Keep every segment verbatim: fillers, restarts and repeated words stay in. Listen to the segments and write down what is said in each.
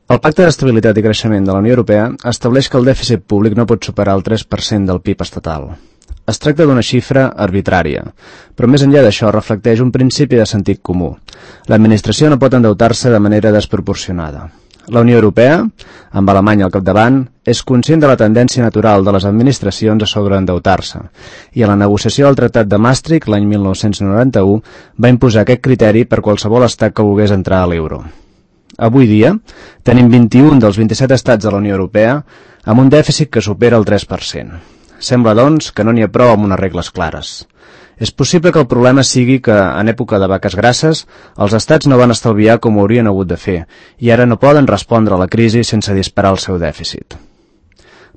El Pacte d'Estabilitat i Creixement de la Unió Europea estableix que el dèficit públic no pot superar el tres per cent del P I B estatal. Es tracta d'una xifra arbitrària, però més enllà d'això reflecteix un principi de sentit comú. L'administració no pot endeutar-se de manera desproporcionada. La Unió Europea, amb Alemanya al capdavant, és conscient de la tendència natural de les administracions a sobreendeutar-se, i a la negociació del Tractat de Maastricht l'any mil nou-cents noranta-u va imposar aquest criteri per qualsevol estat que volgués entrar a l'euro. Avui dia, tenim vint-i-un dels vint-i-set estats de la Unió Europea amb un dèficit que supera el tres per cent. Sembla, doncs, que no n'hi ha prou amb unes regles clares. És possible que el problema sigui que, en època de vaques grasses, els estats no van estalviar com ho haurien hagut de fer i ara no poden respondre a la crisi sense disparar el seu dèficit.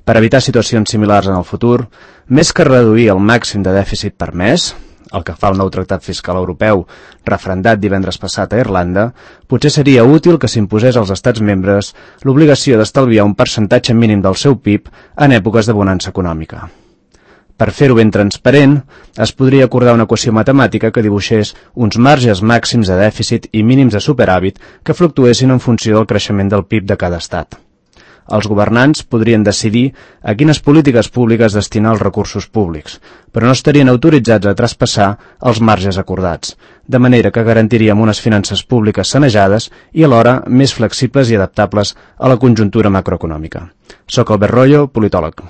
Per evitar situacions similars en el futur, més que reduir el màxim de dèficit permès, el que fa el nou tractat fiscal europeu, referendat divendres passat a Irlanda, potser seria útil que s'imposés als estats membres l'obligació d'estalviar un percentatge mínim del seu P I B en èpoques de bonança econòmica. Per fer-ho ben transparent, es podria acordar una equació matemàtica que dibuixés uns marges màxims de dèficit i mínims de superàvit que fluctuessin en funció del creixement del P I B de cada estat. Els governants podrien decidir a quines polítiques públiques destinar els recursos públics, però no estarien autoritzats a traspassar els marges acordats, de manera que garantiríem unes finances públiques sanejades i alhora més flexibles i adaptables a la conjuntura macroeconòmica. Soc Albert Royo, politòleg.